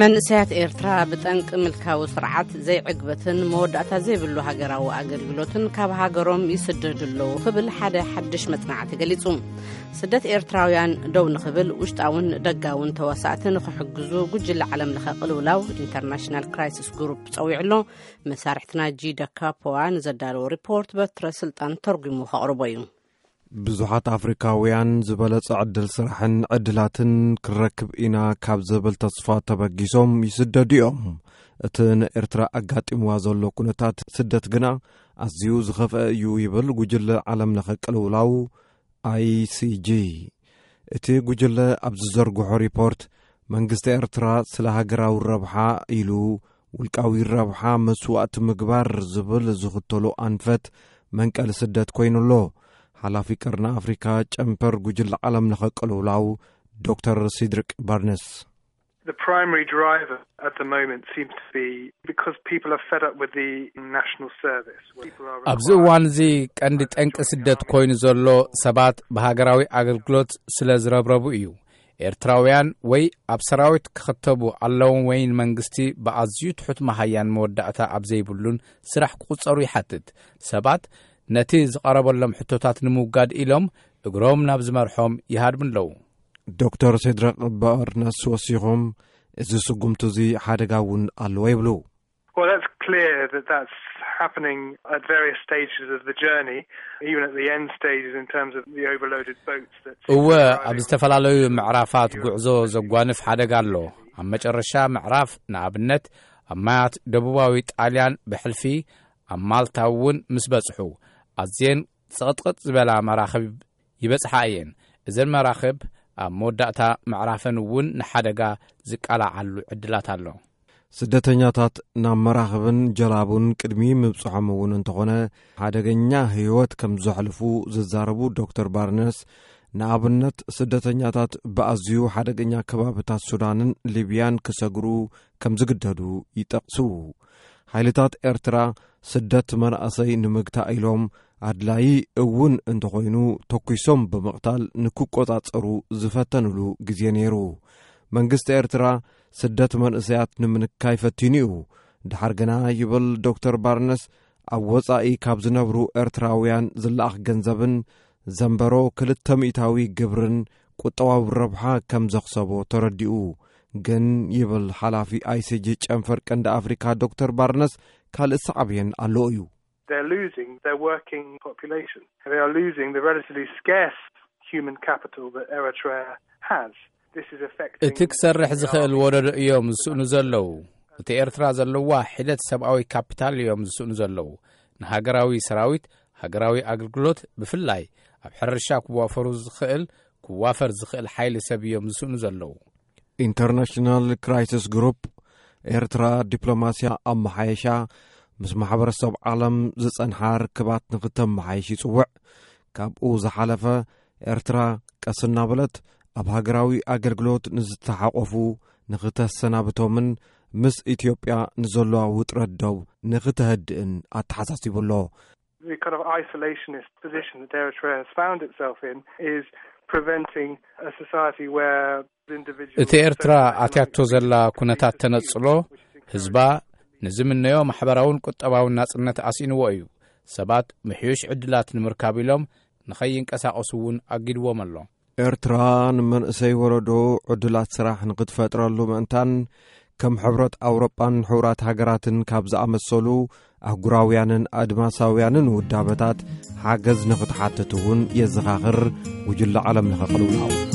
መንእሰያት ኤርትራ ብጠንቂ ምልካዊ ስርዓት ዘይዕግበትን መወዳእታ ዘይብሉ ሃገራዊ ኣገልግሎትን ካብ ሃገሮም ይስደዱ ኣለዉ ክብል ሓደ ሓድሽ መጽናዕቲ ገሊጹ። ስደት ኤርትራውያን ደው ንኽብል ውሽጣውን ደጋውን ተዋሳእቲ ንኽሕግዙ ጉጅለ ዓለም ለኸ ቅልውላው ኢንተርናሽናል ክራይሲስ ግሩፕ ጸዊዑ ኣሎ። መሳርሕትና ጂ ደካፖዋ ንዘዳለዎ ሪፖርት በትረ ስልጣን ተርጉሙ ከቕርቦ እዩ። ብዙሓት ኣፍሪካውያን ዝበለጸ ዕድል ስራሕን ዕድላትን ክረክብ ኢና ካብ ዝብል ተስፋ ተበጊሶም ይስደዱ እዮም። እቲ ንኤርትራ ኣጋጢምዋ ዘሎ ኩነታት ስደት ግና ኣዝዩ ዝኸፍአ እዩ ይብል ጉጅለ ዓለም ለኸ ቅልውላው ኣይሲጂ። እቲ ጉጅለ ኣብ ዝዘርግሖ ሪፖርት መንግስቲ ኤርትራ ስለ ሃገራዊ ረብሓ ኢሉ ውልቃዊ ረብሓ መስዋእቲ ምግባር ዝብል ዝኽተሎ ኣንፈት መንቀሊ ስደት ኮይኑ ኣሎ። ሓላፊ ቀርኒ ኣፍሪካ ጨንፈር ጉጅለ ዓለም ለኸ ቅልውላው ዶክተር ሲድሪክ ባርነስ። The primary driver at the moment seems to be because people are fed up with the national service. People are ኣብዚ required እዋን እዚ ቀንዲ ጠንቂ ስደት ኮይኑ ዘሎ ሰባት ብሃገራዊ ኣገልግሎት ስለ ዝረብረቡ እዩ። ኤርትራውያን ወይ ኣብ ሰራዊት ክኽተቡ ኣለዎም ወይ ንመንግስቲ ብኣዝዩ ትሑት መሃያን መወዳእታ ኣብ ዘይብሉን ስራሕ ክቑጸሩ ይሓትት። ሰባት ነቲ ዝቐረበሎም ሕቶታት ንምውጋድ ኢሎም እግሮም ናብ ዝመርሖም ይሃድሙ ኣለዉ። ዶክተር ሴድራቅ ባርነስ ወሲኾም፣ እዚ ስጉምቲ እዚ ሓደጋ እውን ኣለዎ ይብሉ። Well, that's clear that that's happening at various stages of the journey, even at the end stages in terms of the overloaded boats that seem እወ፣ to be ኣብ driving ዝተፈላለዩ ምዕራፋት ጉዕዞ ዘጓንፍ ሓደጋ ኣሎ። ኣብ መጨረሻ ምዕራፍ፣ ንኣብነት ኣብ ማያት ደቡባዊ ጣልያን ብሕልፊ ኣብ ማልታ እውን ምስ በጽሑ፣ ኣዝየን ጽቕጥቕጥ ዝበላ መራኽብ ይበጽሓ እየን። እዘን መራኽብ ኣብ መወዳእታ ምዕራፈን እውን ንሓደጋ ዝቃላዓሉ ዕድላት ኣሎ። ስደተኛታት ናብ መራኽብን ጀላቡን ቅድሚ ምብጽሖም እውን እንተኾነ ሓደገኛ ህይወት ከም ዘሕልፉ ዝዛረቡ ዶክተር ባርነስ፣ ንኣብነት ስደተኛታት ብኣዝዩ ሓደገኛ ከባብታት ሱዳንን ሊብያን ክሰግሩ ከም ዝግደዱ ይጠቕሱ። ሓይልታት ኤርትራ ስደት መናእሰይ ንምግታእ ኢሎም ኣድላዪ እውን እንተኾይኑ ተኲሶም ብምቕታል ንክቆጻጸሩ ዝፈተንሉ ግዜ ነይሩ። መንግስቲ ኤርትራ ስደት መንእሰያት ንምንካይ ፈቲኑ እዩ። ድሓር ግና ይብል ዶክተር ባርነስ፣ ኣብ ወጻኢ ካብ ዝነብሩ ኤርትራውያን ዝለኣኽ ገንዘብን ዘንበሮ ክልተ ሚእታዊ ግብርን ቁጠባዊ ረብሓ ከም ዘኽሰቦ ተረዲኡ። ግን ይብል ሓላፊ ኣይሲጂ ጨንፈር ቀንዲ ኣፍሪካ ዶክተር ባርነስ፣ ካልእ ሳዕቤን ኣለዎ እዩ። They're losing their working population. They are losing the relatively scarce human capital that Eritrea has. This is affecting እቲ ክሰርሕ ዝኽእል ወለዶ እዮም ዝስእኑ ዘለዉ። እቲ ኤርትራ ዘለዋ ሒደት ሰብኣዊ ካፒታል እዮም ዝስእኑ ዘለዉ። ንሃገራዊ ሰራዊት፣ ሃገራዊ ኣገልግሎት፣ ብፍላይ ኣብ ሕርሻ ክዋፈሩ ዝኽእል ክዋፈር ዝኽእል ሓይሊ ሰብ እዮም ዝስእኑ ዘለዉ። ኢንተርናሽናል ክራይሲስ ግሩፕ፣ ኤርትራ ዲፕሎማስያ ኣመሓየሻ፣ ምስ ማሕበረሰብ ዓለም ዝጸንሓ ርክባት ንክተመሓይሽ ይጽውዕ። ካብኡ ዝሓለፈ፣ ኤርትራ ቀስ እናበለት ኣብ ሃገራዊ ኣገልግሎት ንዝተሓቆፉ ንክተሰናብቶምን ምስ ኢትዮጵያ ንዘለዋ ውጥረት ደው ንክተህድእን ኣተሓሳሲቡ ኣሎ። The kind of isolationist position that Eritrea has found itself in is preventing a society where individuals እቲ ኤርትራ ኣትያቶ ዘላ ኩነታት ተነጽሎ፣ ህዝባ ንዝምነዮ ማሕበራውን ቁጠባውን ናጽነት ኣስኢንዎ እዩ። ሰባት ምሕዩሽ ዕድላት ንምርካብ ኢሎም ንኸይንቀሳቐሱ እውን ኣጊድዎም ኣሎ። ኤርትራ ንመንእሰይ ወለዶ ዕድላት ስራሕ ንክትፈጥረሉ ምእንታን፣ ከም ሕብረት ኣውሮጳን ሕቡራት ሃገራትን ካብ ዝኣመሰሉ ኣህጉራውያንን ኣድማሳውያንን ውዳበታት ሓገዝ ንክትሓትት እውን የዘኻኽር። ጉጅለ ዓለም ለኸ ቅልውላው።